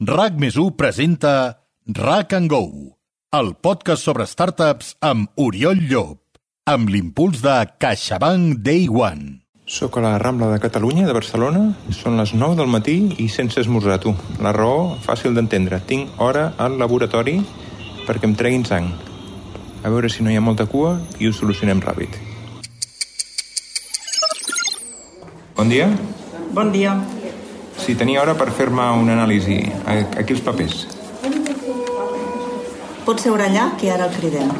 RAC+1 presenta RAC & Go, el podcast sobre startups amb Oriol Llop, amb l'impuls de CaixaBank Day One. Soc a la Rambla de Catalunya, de Barcelona. Són les 9 del matí i sense esmorzar, tu. La raó, fàcil d'entendre. Tinc hora al laboratori perquè em treguin sang. A veure si no hi ha molta cua i ho solucionem ràpid. Bon dia. Bon dia. Si tenia hora per fer-me una anàlisi. Aquí els papers. Pot seure allà, que ara el cridem.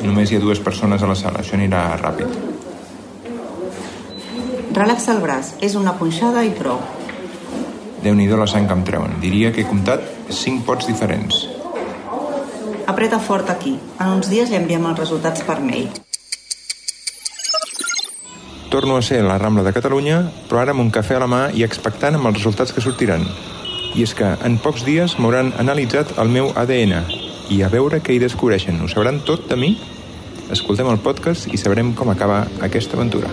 Només hi ha 2 persones a la sala. Això anirà ràpid. Relaxa el braç. És una punxada i prou. Déu-n'hi-do la sang que em treuen. Diria que he comptat 5 pots diferents. Apreta fort aquí. En uns dies li enviem els resultats per mail. Torno a ser a la Rambla de Catalunya, però ara amb un cafè a la mà i expectant amb els resultats que sortiran. I és que en pocs dies m'hauran analitzat el meu ADN i a veure què hi descobreixen. Ho sabran tot de mi? Escoltem el podcast i sabrem com acaba aquesta aventura.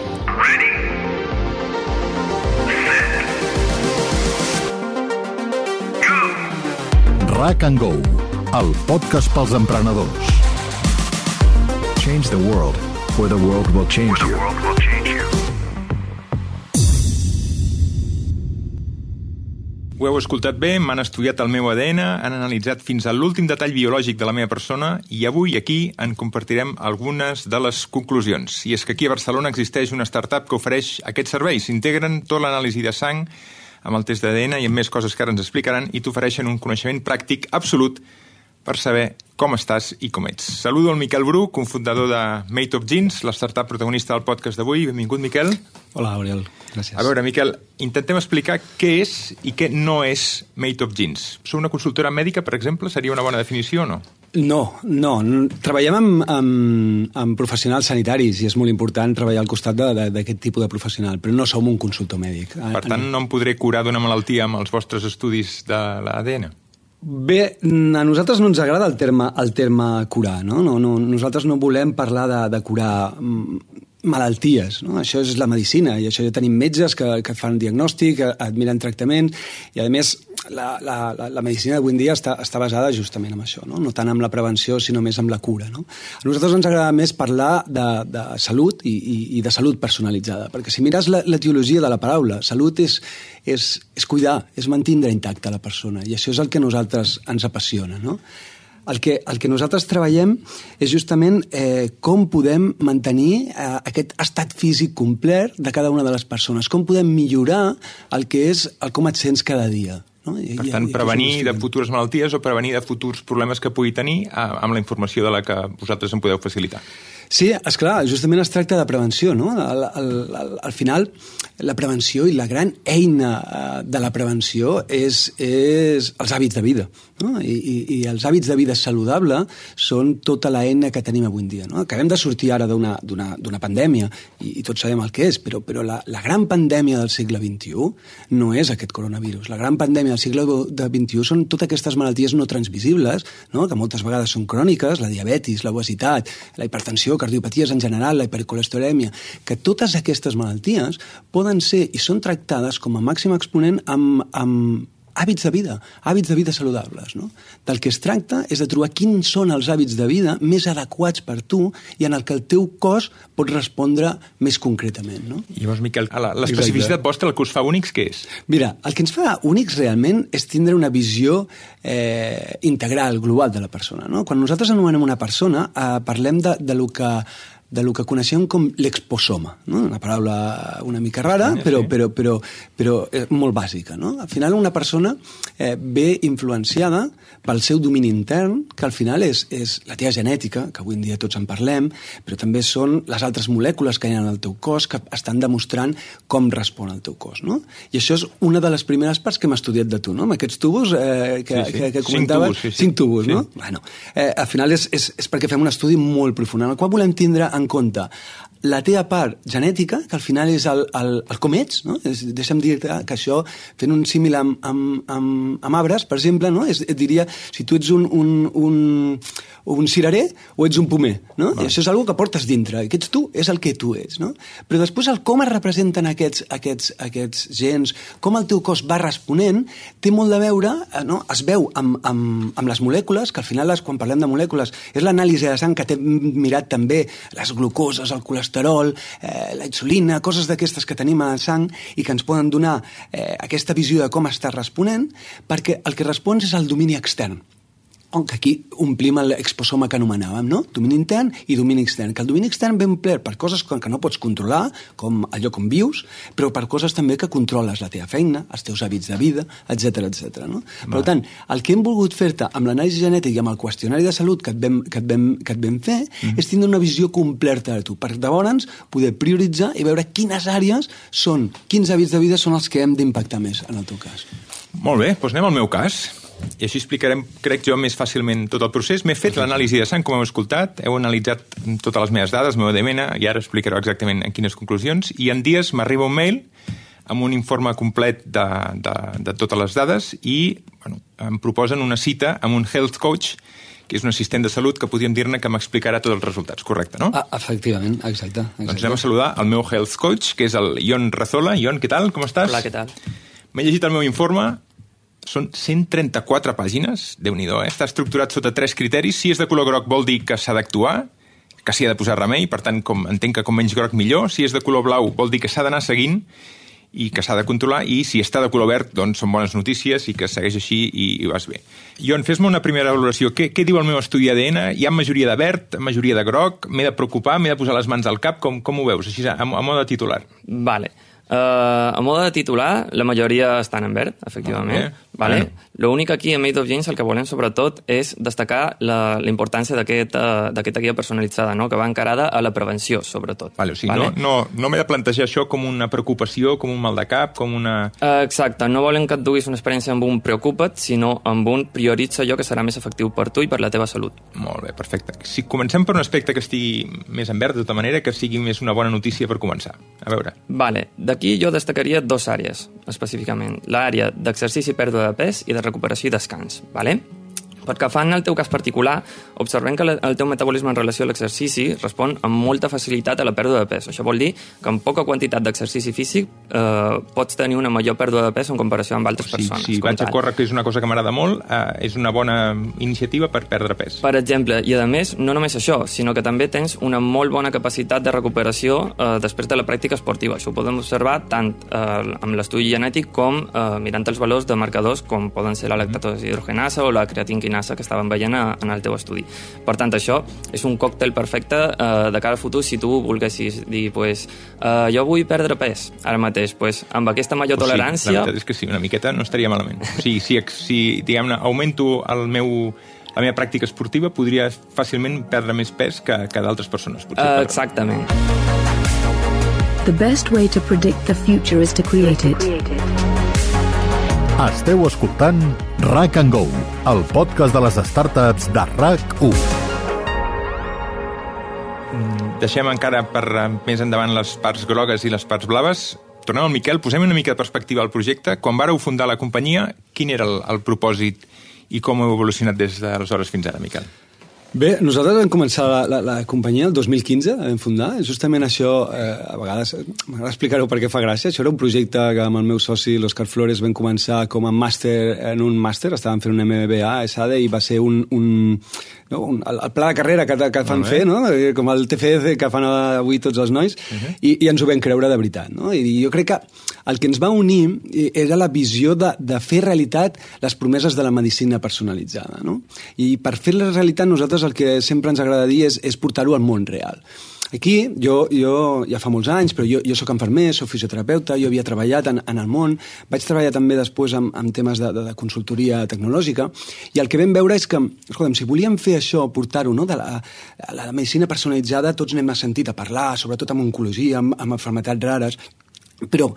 RAC & Go, el podcast pels emprenedors. Change the world, or the world will change you. Ho heu escoltat bé, m'han estudiat el meu ADN, han analitzat fins a l'últim detall biològic de la meva persona i avui aquí en compartirem algunes de les conclusions. I és que aquí a Barcelona existeix una startup que ofereix aquests serveis. S'integren tot l'anàlisi de sang amb el test d'ADN i amb més coses que ara ens explicaran i t'ofereixen un coneixement pràctic absolut per saber com estàs i com ets. Saludo el Miquel Bru, cofundador de Made of Jeans, la startup protagonista del podcast d'avui. Benvingut, Miquel. Hola, Oriol. Gràcies. A veure, Miquel, intentem explicar què és i què no és Made of Jeans. Sou una consultora mèdica, per exemple? Seria una bona definició o no? No. Treballem amb professionals sanitaris i és molt important treballar al costat d'aquest tipus de professional, però no som un consultor mèdic. Per tant, no em podré curar d'una malaltia amb els vostres estudis de l'ADN? Bé, a nosaltres no ens agrada el terme curar, no? Nosaltres no volem parlar de curar malalties, no? Això és la medicina i això ja tenim metges que et fan diagnòstic, et miren tractament i a més la medicina d'avui en dia està basada justament en això, no tant amb la prevenció sinó més amb la cura, no? A nosaltres ens agrada més parlar de salut i de salut personalitzada, perquè si mires l'etiologia de la paraula, salut és cuidar, és mantindre intacta la persona i això és el que a nosaltres ens apassiona, no? El que nosaltres treballem és justament com podem mantenir aquest estat físic complet de cada una de les persones, com podem millorar el que és el com et sents cada dia. No? Per tant, prevenir de futures malalties o prevenir de futurs problemes que pugui tenir amb la informació de la que vosaltres em podeu facilitar. Sí, esclar, justament es tracta de prevenció, no? Al final, la prevenció i la gran eina de la prevenció és els hàbits de vida, no? I els hàbits de vida saludable són tota l'eina que tenim avui en dia, no? Acabem de sortir ara d'una pandèmia i tots sabem el que és, però la gran pandèmia del segle XXI no és aquest coronavirus. La gran pandèmia del segle XXI són totes aquestes malalties no transmissibles, no? Que moltes vegades són cròniques, la diabetis, l'obesitat, la hipertensió, cardiopaties en general, la hipercolesterolèmia, que totes aquestes malalties poden ser i són tractades com a màxim exponent amb hàbits de vida saludables, no? Del que es tracta és de trobar quins són els hàbits de vida més adequats per tu i en el que el teu cos pot respondre més concretament, no? I llavors, Miquel, l'especificitat vostra, el que us fa únics, què és? Mira, el que ens fa únics realment és tindre una visió integral, global de la persona, no? Quan nosaltres anomenem una persona, parlem de lo que coneixem com l'exposoma, no? Una paraula una mica rara, però molt bàsica, no? Al final una persona ve influenciada pel seu domini intern, que al final és la teva genètica, que avui en dia tots en parlem, però també són les altres molècules que hi ha en el teu cos que estan demostrant com respon el teu cos, no? I això és una de les primeres parts que hem estudiat de tu, no? Amb aquests tubos que comentaves. 5 tubos, no? Bueno, al final és perquè fem un estudi molt profund, en el qual volem tindre en compte la teva part genètica, que al final és el com ets, no? Deixa'm dir que això, fent un símil amb arbres, per exemple, no? Et diria si tu ets un cirerer o ets un pomer, no? I això és una que portes dintre, i que ets tu, és el que tu ets, no? Però després el com es representen aquests gens, com el teu cos va responent, té molt de veure, no? Es veu amb les molècules, que al final, quan parlem de molècules, és l'anàlisi de sang que t'hem mirat també, les glucoses, el colesterol, la insulina, coses d'aquestes que tenim a la sang i que ens poden donar aquesta visió de com està responent, perquè el que respons és el domini extern. Que aquí omplim l'exposoma que anomenàvem, no? Domini intern i domini extern. Que el domini extern ve omplert per coses que no pots controlar, com allò com vius, però per coses també que controles la teva feina, els teus hàbits de vida, etc. No? Per tant, el que hem volgut fer-te amb l'anàlisi genètica i amb el qüestionari de salut que et vam fer és tindre una visió completa de tu, per llavors poder prioritzar i veure quines àrees són, quins hàbits de vida són els que hem d'impactar més en el teu cas. Molt bé, doncs anem al meu cas. I així explicarem, crec jo, més fàcilment tot el procés. M'he fet l'anàlisi de sang, com heu escoltat, heu analitzat totes les meves dades, el meu ADN, i ara explicareu exactament en quines conclusions, i en dies m'arriba un mail amb un informe complet de totes les dades i em proposen una cita amb un health coach, que és un assistent de salut que podríem dir-ne que m'explicarà tots els resultats, correcte, no? Efectivament, exacte. Doncs anem a saludar el meu health coach, que és el Ion Razola. Ion, què tal? Com estàs? Hola, què tal? M'he llegit el meu informe. Són 134 pàgines, Déu-n'hi-do, Està estructurat sota 3 criteris. Si és de color groc vol dir que s'ha d'actuar, que s'hi ha de posar remei, per tant, entenc que com menys groc millor. Si és de color blau vol dir que s'ha d'anar seguint i que s'ha de controlar, i si està de color verd, doncs són bones notícies i que segueix així i vas bé. Ion, fes-me una primera valoració. Què diu el meu estudi ADN? Hi ha majoria de verd, majoria de groc? M'he de preocupar? M'he de posar les mans al cap? Com ho veus, així a mode titular? Vale. A mode de titular, la majoria estan en verd, efectivament. Vale? L'únic aquí a Made of Genes el que volem sobretot és destacar la importància d'aquesta guia personalitzada, no? Que va encarada a la prevenció, sobretot. Vale, o sigui, vale? No m'he de plantejar això com una preocupació, com un mal de cap, com una... Exacte, no volem que et duguis una experiència amb un preocupa't, sinó amb un prioritza allò que serà més efectiu per tu i per la teva salut. Molt bé, perfecte. Si comencem per un aspecte que estigui més en verd, de tota manera, que sigui més una bona notícia per començar. A veure. Vale, d'aquí jo destacaria 2 àrees, específicament. L'àrea d'exercici i pèrdua de pes i de recuperació i descans, vale? Perquè fa en el teu cas particular, observem que el teu metabolisme en relació a l'exercici respon amb molta facilitat a la pèrdua de pes. Això vol dir que amb poca quantitat d'exercici físic pots tenir una major pèrdua de pes en comparació amb altres persones. Si vaig a córrer, que és una cosa que m'agrada molt, és una bona iniciativa per perdre pes. Per exemple, i a més, no només això, sinó que també tens una molt bona capacitat de recuperació després de la pràctica esportiva. Això ho podem observar tant amb l'estudi genètic com mirant els valors de marcadors com poden ser la lactatosa hidrogenasa o la creatinquinasa que estaven veient en el teu estudi. Per tant, això és un còctel perfecte de cara al futur si tu volguessis dir, jo vull perdre pes ara mateix, amb aquesta major tolerància... La veritat és que sí, una miqueta no estaria malament. O sigui, si diguem-ne, augmento la meva pràctica esportiva, podria fàcilment perdre més pes que d'altres persones. Exactament. The best way to predict the future is to create it. Esteu escoltant RAC & Go, el podcast de les startups de RAC1. Deixem encara per més endavant les parts grogues i les parts blaves. Tornem al Miquel, posem una mica de perspectiva al projecte. Quan vàreu fundar la companyia, quin era el propòsit i com heu evolucionat des d'aleshores fins ara, Miquel? Bé, nosaltres vam començar la companyia el 2015, vam fundar. Justament això, a vegades, m'agrada explicar-ho perquè fa gràcia. Això era un projecte que amb el meu soci, l'Òscar Flores, vam començar com a màster en un màster. Estàvem fent un MBA a ESADE i va ser el pla de carrera que fan fer, no? Com el TFC que fan avui tots els nois, i ens ho vam creure de veritat. No? I jo crec que el que ens va unir era la visió de fer realitat les promeses de la medicina personalitzada. No? I per fer la realitat nosaltres el que sempre ens agrada dir és portar-ho al món real. Aquí, jo ja fa molts anys, però jo soc infermer, soc fisioterapeuta, jo havia treballat en el món, vaig treballar també després amb temes de consultoria tecnològica, i el que vam veure és que, escolta'm, si volíem fer això, portar-ho, no, de la medicina personalitzada, tots n'hem sentit a parlar, sobretot amb oncologia, amb malalties rares, però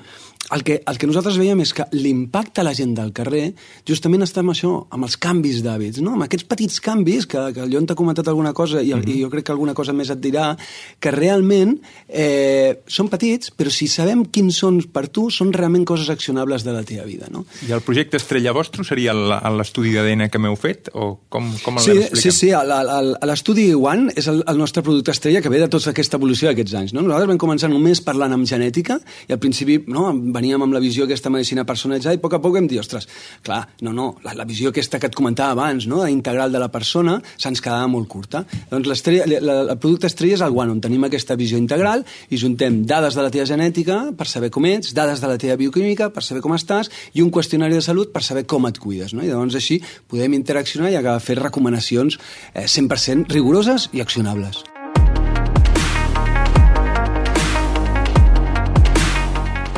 el que nosaltres veiem és que l'impacte a la gent del carrer justament està amb això, amb els canvis d'hàbits, no? Amb aquests petits canvis, que el Llon t'ha comentat alguna cosa i jo crec que alguna cosa més et dirà, que realment són petits, però si sabem quins són per tu, són realment coses accionables de la teva vida, no? I el projecte estrella vostre seria l'estudi d'ADN que m'heu fet? O com el expliquem? Sí, l'estudi One és el nostre producte estrella que ve de tota aquesta evolució d'aquests anys, no? Nosaltres vam començar només parlant amb genètica i al principi veníem amb la visió aquesta medicina personalitzada i a poc vam dir, ostres, clar, la visió aquesta que et comentava abans, no?, integral de la persona, se'ns quedava molt curta. Doncs el producte estrella és el One, on tenim aquesta visió integral i juntem dades de la teva genètica per saber com ets, dades de la teva bioquímica per saber com estàs i un qüestionari de salut per saber com et cuides, no? I llavors així podem interaccionar i acabar fer recomanacions 100% rigoroses i accionables.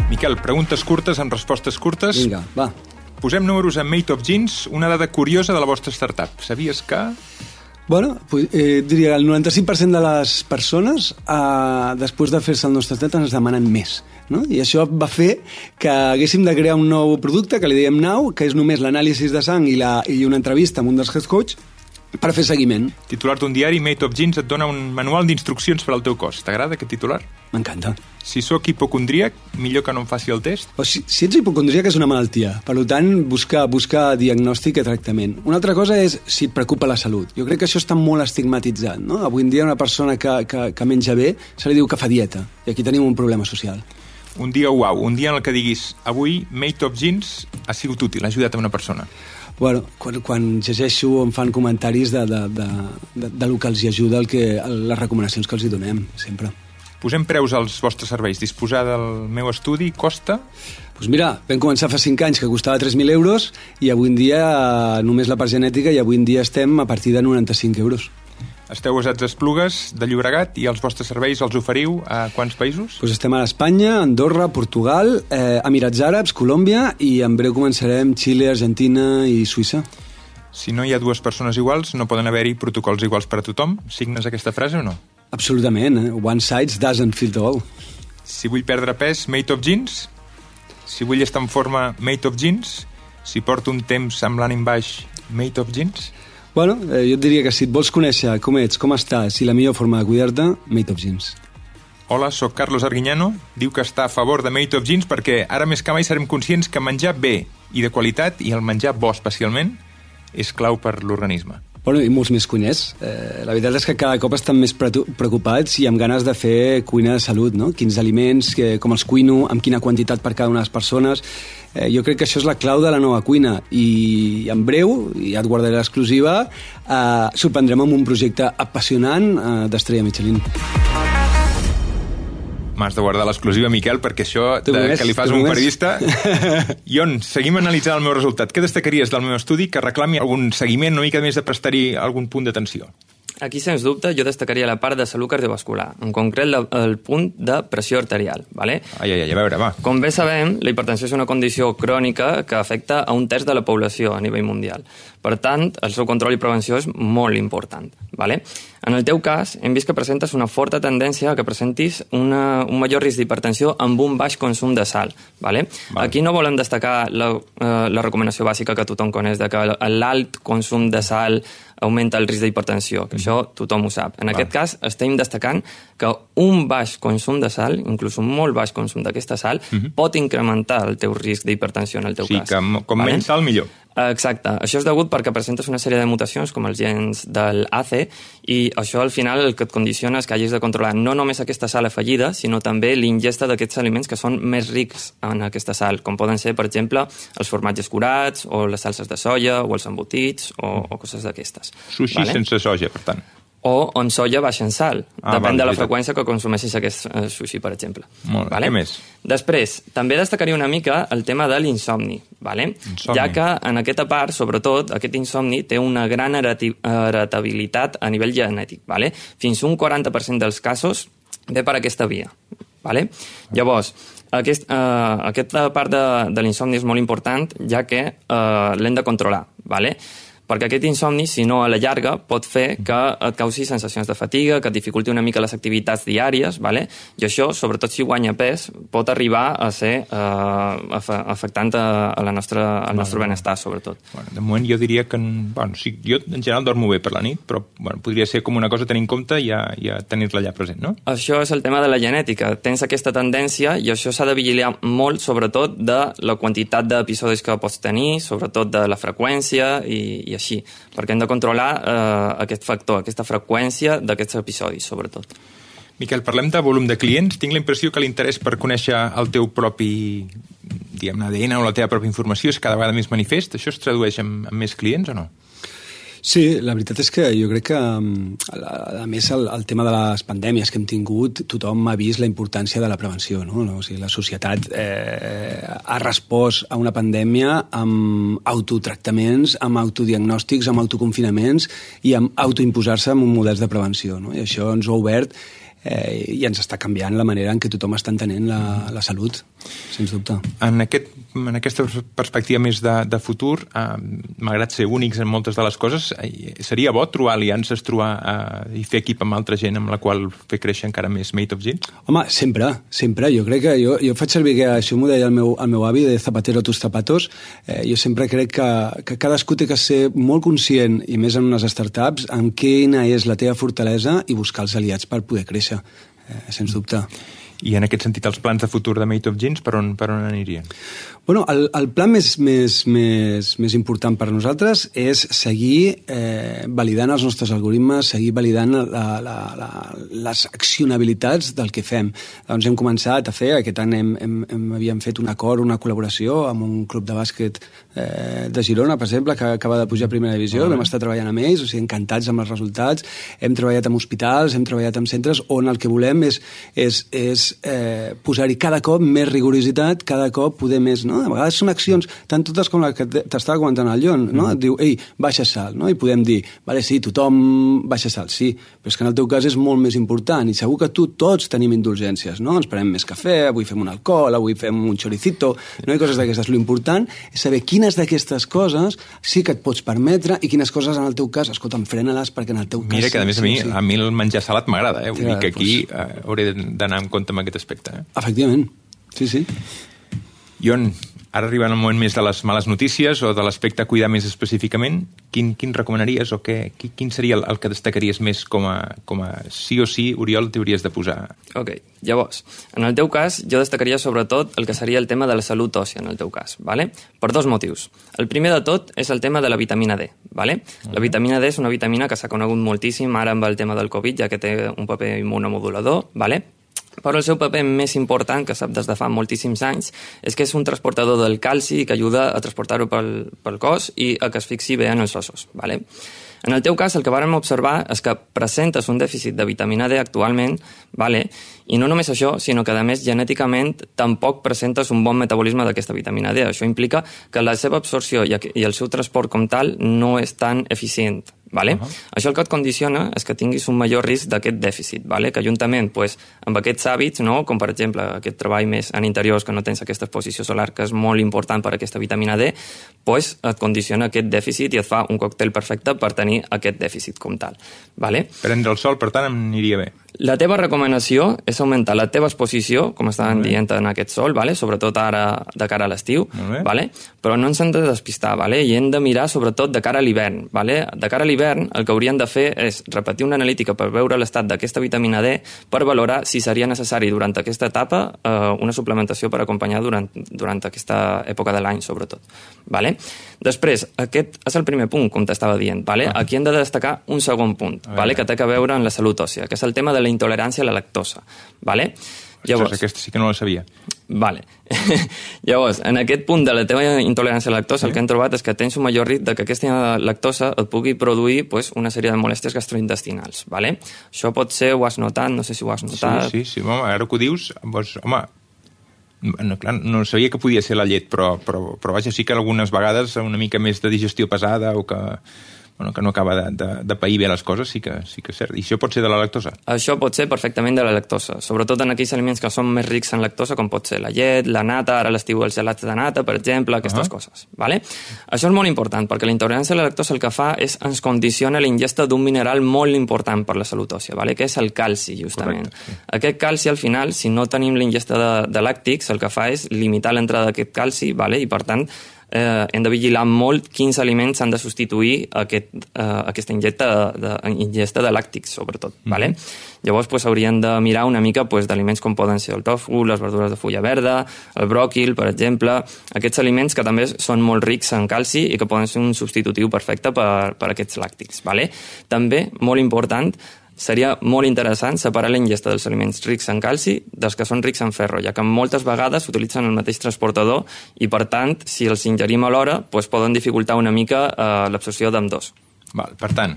Miquel, preguntes curtes amb respostes curtes. Vinga, va. Posem números en Made of Jeans, una dada curiosa de la vostra startup. Sabies que... Bueno, diria que el 95% de les persones, després de fer-se el nostre test, ens demanen més. No? I això va fer que haguéssim de crear un nou producte que li diem Now, que és només l'anàlisi de sang i una entrevista amb un dels health coach per fer seguiment. Titular d'un diari, Made of Jeans, et dona un manual d'instruccions per al teu cos. T'agrada aquest titular? M'encanta. Si sóc hipocondríac, millor que no em faci el test? O si ets hipocondríac és una malaltia. Per tant, buscar diagnòstic i tractament. Una altra cosa és si et preocupa la salut. Jo crec que això està molt estigmatitzat, no? Avui en dia una persona que menja bé se li diu que fa dieta. I aquí tenim un problema social. Un dia uau, un dia en el que diguis avui Made of Jeans ha sigut útil, ha ajudat a una persona. Bueno, quan llegeixo em fan comentaris de lo que els hi ajuda les recomanacions que els hi donem, sempre. Posem preus als vostres serveis. Disposar del meu estudi costa? Doncs mira, vam començar fa 5 anys que costava 3.000 euros i avui en dia només la part genètica i avui en dia estem a partir de 95 euros. Esteu basats a Esplugues de Llobregat i els vostres serveis els oferiu a quants països? Doncs estem a Espanya, Andorra, Portugal, Emirats Àrabs, Colòmbia i en breu començarem Xile, Argentina i Suïssa. Si no hi ha dues persones iguals, no poden haver-hi protocols iguals per a tothom? Signes aquesta frase o no? Absolutament. One size doesn't fit all. Si vull perdre pes, Made of Jeans? Si vull estar en forma, Made of Jeans? Si porto un temps amb l'ànim baix, Made of Jeans? Bueno, jo et diria que si et vols conèixer com ets, com estàs i la millor forma de cuidar-te, Made of Jeans. Hola, sóc Carlos Arguiñano. Diu que està a favor de Made of Jeans perquè ara més que mai serem conscients que menjar bé i de qualitat, i el menjar bo especialment, és clau per l'organisme. Bueno, i molts més cuiners. La veritat és que cada cop estan més preocupats i amb ganes de fer cuina de salut, no? Quins aliments, com els cuino, amb quina quantitat per cada una de les persones. Jo crec que això és la clau de la nova cuina i en breu, i ja et guardaré l'exclusiva, sorprendrem amb un projecte apassionant d'Estrella Michelin. M'has de guardar l'exclusiva, Miquel, perquè això que li fas a un periodista... Ion, seguim analitzant el meu resultat. Què destacaries del meu estudi que reclami algun seguiment, una mica més de prestar-hi algun punt d'atenció? Aquí, sens dubte, jo destacaria la part de salut cardiovascular, en concret el punt de pressió arterial. ¿vale? A veure, va. Com bé sabem, la hipertensió és una condició crònica que afecta a un terç de la població a nivell mundial. Per tant, el seu control i prevenció és molt important. ¿vale? En el teu cas, hem vist que presentes una forta tendència a que presentis un major risc d'hipertensió amb un baix consum de sal. ¿vale? Aquí no volem destacar la recomanació bàsica que tothom coneix, de que l'alt consum de sal augmenta el risc d'hipertensió, que això tothom ho sap. En aquest cas, estem destacant que un baix consum de sal, inclús un molt baix consum d'aquesta sal, pot incrementar el teu risc d'hipertensió en el teu cas. Sí, que com menys sal, millor. Exacte. Això és degut perquè presentes una sèrie de mutacions com els gens del AC i això al final el que et condiciona és que hagis de controlar no només aquesta sal afegida, sinó també l'ingesta d'aquests aliments que són més rics en aquesta sal, com poden ser, per exemple, els formatges curats o les salses de soia o els embotits o coses d'aquestes. Sushi sense soja, per tant. O en soia baixa en sal. Depèn de la freqüència que consumeixis aquest sushi, per exemple. Molt bé, què més? Després, també destacaria una mica el tema de l'insomni, ja que en aquesta part, sobretot, aquest insomni té una gran heretabilitat a nivell genètic. Fins un 40% dels casos ve per aquesta via. Llavors, aquesta part de l'insomni és molt important, ja que l'hem de controlar. perquè aquest insomni, si no a la llarga, pot fer que et causi sensacions de fatiga, que et dificulti una mica les activitats diàries, vale? I això, sobretot si guanya pes, pot arribar a ser afectant al nostre benestar, sobretot. Bueno, de moment jo diria que... sí, jo en general dormo bé per la nit, però podria ser com una cosa a tenir en compte i ja tenir-la allà present, no? Això és el tema de la genètica. Tens aquesta tendència i això s'ha de vigilar molt, sobretot de la quantitat d'episodis que pots tenir, sobretot de la freqüència i així, perquè hem de controlar aquest factor, aquesta freqüència d'aquests episodis, sobretot. Miquel, parlem de volum de clients. Tinc la impressió que l'interès per conèixer el teu propi, diguem, ADN o la teva pròpia informació és cada vegada més manifest. Això es tradueix en més clients o no? Sí, la veritat és que jo crec que, a més, el tema de les pandèmies que hem tingut, tothom ha vist la importància de la prevenció, no? O sigui, la societat ha respost a una pandèmia amb autotractaments, amb autodiagnòstics, amb autoconfinaments i amb autoimposar-se amb models de prevenció, no? I això ens ha obert i ens està canviant la manera en què tothom està entenent la salut, sens dubte. En aquesta perspectiva més de futur, malgrat ser únics en moltes de les coses, seria bo trobar aliances, i fer equip amb altra gent amb la qual fer créixer encara més Made of Jeans? Home, sempre. Jo crec que jo faig servir que això m'ho deia el meu avi, de zapatero a tus zapatos. Jo sempre crec que cadascú té que ser molt conscient, i més en unes startups, en quina és la teva fortalesa i buscar els aliats per poder créixer, sens dubte. I en aquest sentit, els plans de futur de Made of Jeans per on anirien? Bueno, el plan més important per a nosaltres és seguir validant els nostres algoritmes, seguir validant les accionabilitats del que fem. Doncs hem començat a fer, aquest any havíem fet un acord, una col·laboració amb un club de bàsquet de Girona, per exemple, que acaba de pujar a primera divisió, vam estar treballant amb ells, o sigui, encantats amb els resultats, hem treballat amb hospitals, hem treballat amb centres on el que volem és posar-hi cada cop més rigorositat, cada cop poder més, no? A vegades són accions, tant totes com la que t'estava comentant el Jon, no? Et diu, ei, baixa sal, no? I podem dir, vale, sí, tothom baixa sal, sí, però és que en el teu cas és molt més important i segur que tots tenim indulgències, no? Ens prenem més cafè, avui fem un alcohol, avui fem un choricito, no? I coses d'aquestes. L'important és saber quines d'aquestes coses sí que et pots permetre i quines coses en el teu cas, escolta'm, frena-les perquè en el teu cas... Mira que, a més, a mi el menjar salat m'agrada, Vull dir que aquí hauré d'anar en compte amb aquest aspecte. Efectivament, sí. Jon, ara arribant el moment més de les males notícies o de l'aspecte a cuidar més específicament, quin recomanaries o quin seria el que destacaries més com a sí o sí, Oriol, t'hauries de posar? Ok, llavors, en el teu cas jo destacaria sobretot el que seria el tema de la salut òssia en el teu cas, ¿vale? Per dos motius. El primer de tot és el tema de la vitamina D, ¿vale? La vitamina D és una vitamina que s'ha conegut moltíssim ara amb el tema del Covid, ja que té un paper immunomodulador, ¿vale? Però el seu paper més important, que sap des de fa moltíssims anys, és que és un transportador del calci que ajuda a transportar-ho pel cos i a que es fixi bé en els ossos. ¿Vale? En el teu cas, el que vàrem observar és que presentes un dèficit de vitamina D actualment, ¿vale? I no només això, sinó que, a més, genèticament tampoc presentes un bon metabolisme d'aquesta vitamina D. Això implica que la seva absorció i el seu transport com tal no és tan eficient. Vale? Això el que et condiciona és que tinguis un major risc d'aquest dèficit, vale? Que juntament amb aquests hàbits, no? Com per exemple aquest treball més en interiors que no tens aquesta exposició solar, que és molt important per a aquesta vitamina D, et condiciona aquest dèficit i et fa un còctel perfecte per tenir aquest dèficit com tal. Vale? Prendre el sol, per tant, em aniria bé. La teva recomanació és augmentar la teva exposició, com estaven dient en aquest sol, vale? Sobretot ara de cara a l'estiu, vale? Però no ens hem de despistar, vale? I hem de mirar sobretot de cara a l'hivern. Vale? De cara a l'hivern el que hauríem de fer és repetir una analítica per veure l'estat d'aquesta vitamina D per valorar si seria necessari durant aquesta etapa una suplementació per acompanyar durant aquesta època de l'any, sobretot. Vale? Després, aquest és el primer punt, com t'estava dient. Vale? Aquí hem de destacar un segon punt, vale? Que té a veure amb la salut òssia, que és el tema de la intolerància a la lactosa. Vale? Llavors, aquesta sí que no la sabia. Vale. Llavors, en aquest punt de la teva intolerància a la lactosa, el que hem trobat és que tens un major risc que aquesta lactosa et pugui produir una sèrie de molèsties gastrointestinals. Vale? Això pot ser, ho has notat, no sé si ho has notat. Sí, home, ara que ho dius, home, no sabia que podia ser la llet, però vaja, sí que algunes vegades una mica més de digestió pesada o que que no acaba de pair bé les coses, sí que és cert. I això pot ser de la lactosa? Això pot ser perfectament de la lactosa, sobretot en aquells aliments que són més rics en lactosa, com pot ser la llet, la nata, ara a l'estiu els gelats de nata, per exemple, aquestes coses. Vale? Això és molt important, perquè la intolerància a la lactosa el que fa és ens condiciona l'ingesta d'un mineral molt important per la salut òssia, vale? Que és el calci, justament. Correcte, sí. Aquest calci, al final, si no tenim l'ingesta de làctics, el que fa és limitar l'entrada d'aquest calci, vale? I per tant, hem de vigilar molt quins aliments han de substituir aquesta ingesta de làctics, sobretot. Vale? Llavors haurien de mirar una mica d'aliments com poden ser el tofu, les verdures de fulla verda, el bròquil, per exemple, aquests aliments que també són molt rics en calci i que poden ser un substitutiu perfecte per aquests làctics. Vale? També, molt important, seria molt interessant separar la ingesta dels aliments rics en calci dels que són rics en ferro, ja que moltes vegades utilitzen el mateix transportador i, per tant, si els ingerim alhora, poden dificultar una mica l'absorció d'ambdós. Per tant,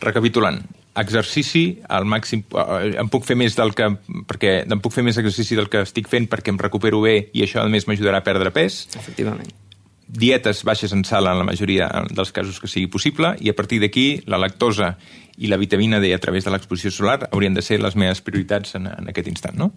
recapitulant, exercici al màxim... Em puc fer més exercici del que estic fent perquè em recupero bé i això, a més, m'ajudarà a perdre pes. Efectivament. Dietes baixes en sal en la majoria dels casos que sigui possible i a partir d'aquí la lactosa i la vitamina D a través de l'exposició solar haurien de ser les meves prioritats en aquest instant, no?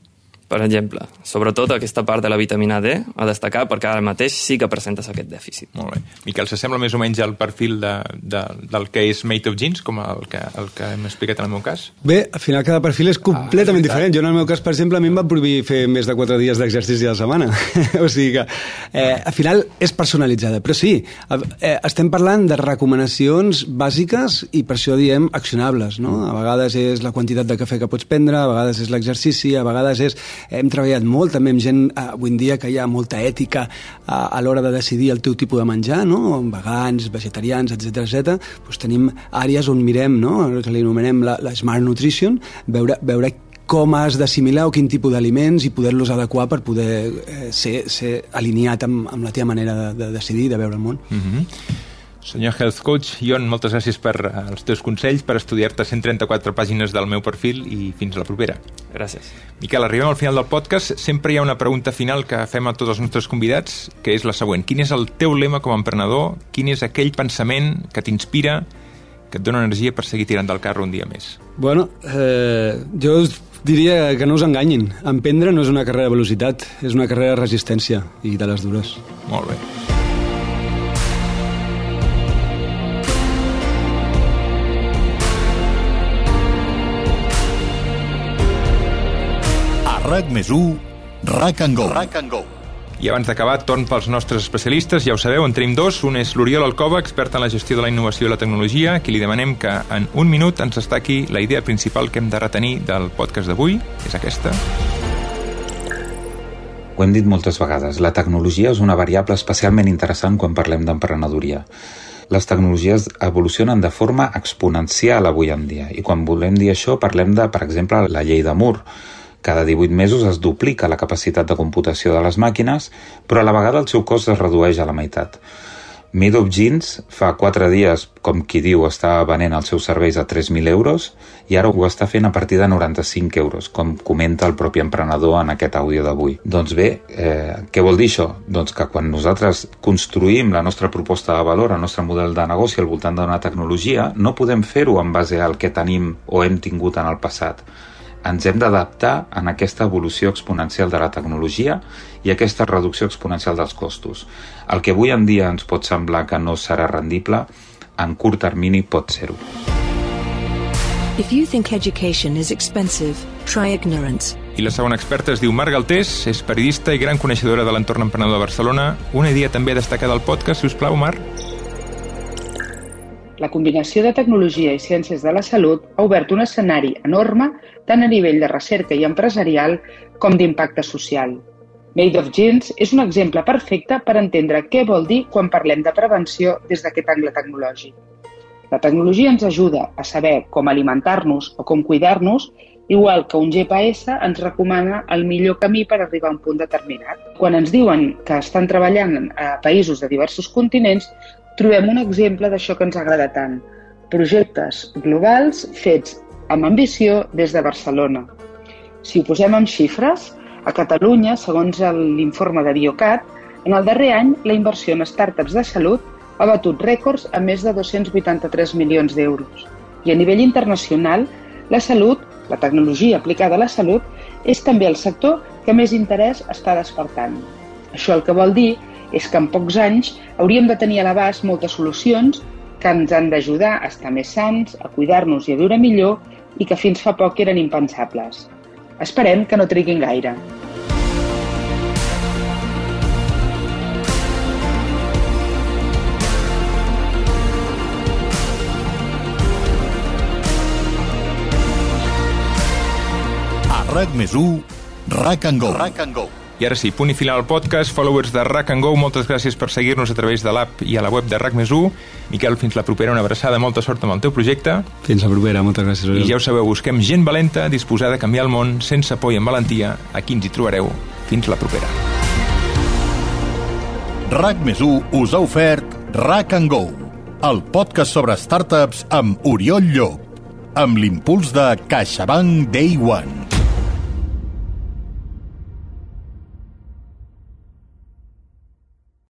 Per exemple, sobretot aquesta part de la vitamina D a destacar perquè ara mateix sí que presentes aquest dèficit. Molt bé. Miquel, s'assembla més o menys al perfil del que és Made of Jeans, com el que hem explicat en el meu cas? Bé, al final cada perfil és completament diferent. Jo en el meu cas, per exemple, a mi em va prohibir fer més de 4 dies d'exercici a la setmana. O sigui que al final és personalitzada. Però sí, estem parlant de recomanacions bàsiques i per això diem accionables, no? A vegades és la quantitat de cafè que pots prendre, a vegades és l'exercici, a vegades és... Hem treballat molt també amb gent avui en dia que hi ha molta ètica a l'hora de decidir el teu tipus de menjar, no? Vegans, vegetarians, etc. Doncs tenim àrees on mirem, no? Que li anomenem la Smart Nutrition, veure com has d'assimilar o quin tipus d'aliments i poder-los adequar per poder ser alineat amb la teva manera de decidir, de veure el món. Senyor Health Coach, Ion, moltes gràcies per els teus consells, per estudiar-te 134 pàgines del meu perfil i fins a la propera. Gràcies. Miquel, arribem al final del podcast. Sempre hi ha una pregunta final que fem a tots els nostres convidats, que és la següent. Quin és el teu lema com a emprenedor? Quin és aquell pensament que t'inspira, que et dona energia per seguir tirant del carro un dia més? Bueno, jo diria que no us enganyin. Emprendre no és una carrera de velocitat, és una carrera de resistència i de les dures. Molt bé. RAC+1, RAC and Go. I abans d'acabar, torn pels nostres especialistes. Ja ho sabeu, en tenim dos. Un és l'Oriol Alcoba, expert en la gestió de la innovació i la tecnologia, a qui li demanem que en un minut ens destaqui la idea principal que hem de retenir del podcast d'avui, que és aquesta. Ho hem dit moltes vegades, la tecnologia és una variable especialment interessant quan parlem d'emprenedoria. Les tecnologies evolucionen de forma exponencial avui en dia, i quan volem dir això parlem de, per exemple, la llei de Moore. Cada 18 mesos es duplica la capacitat de computació de les màquines, però a la vegada el seu cost es redueix a la meitat. Made of Jeans fa 4 dies, com qui diu, estava venent els seus serveis a 3.000 euros i ara ho està fent a partir de 95 euros, com comenta el propi emprenedor en aquest àudio d'avui. Doncs bé, què vol dir això? Doncs que quan nosaltres construïm la nostra proposta de valor, el nostre model de negoci al voltant d'una tecnologia, no podem fer-ho en base al que tenim o hem tingut en el passat. Ens hem d'adaptar en aquesta evolució exponencial de la tecnologia i aquesta reducció exponencial dels costos. El que avui en dia ens pot semblar que no serà rendible, en curt termini pot ser-ho. If you think education is expensive, try ignorance. I la segona experta es diu Mar Galtés, és periodista i gran coneixedora de l'entorn emprenedor de Barcelona. Una idea també destacada al podcast, si us plau, Mar. La combinació de tecnologia i ciències de la salut ha obert un escenari enorme tant a nivell de recerca i empresarial com d'impacte social. Made of Jeans és un exemple perfecte per entendre què vol dir quan parlem de prevenció des d'aquest angle tecnològic. La tecnologia ens ajuda a saber com alimentar-nos o com cuidar-nos, igual que un GPS ens recomana el millor camí per arribar a un punt determinat. Quan ens diuen que estan treballant a països de diversos continents, trobem un exemple d'això que ens agrada tant. Projectes globals fets amb ambició des de Barcelona. Si ho posem en xifres, a Catalunya, segons l'informe de Biocat, en el darrer any la inversió en startups de salut ha batut rècords a més de 283 milions d'euros. I a nivell internacional, la salut, la tecnologia aplicada a la salut, és també el sector que més interès està despertant. Això el que vol dir és que en pocs anys hauríem de tenir a l'abast moltes solucions que ens han d'ajudar a estar més sants, a cuidar-nos i a viure millor i que fins fa poc eren impensables. Esperem que no triguin gaire. RAC+1, RAC and Go. I ara sí, punt i final al podcast. Followers de RAC and Go, moltes gràcies per seguir-nos a través de l'app i a la web de RAC+1. Miquel, fins la propera, una abraçada, molta sort amb el teu projecte. Fins la propera, moltes gràcies. I ja ho sabeu, busquem gent valenta, disposada a canviar el món, sense por i amb valentia. Aquí ens hi trobareu. Fins la propera. RAC+1 us ha ofert RAC and Go, el podcast sobre startups amb Oriol Llop, amb l'impuls de CaixaBank Day One.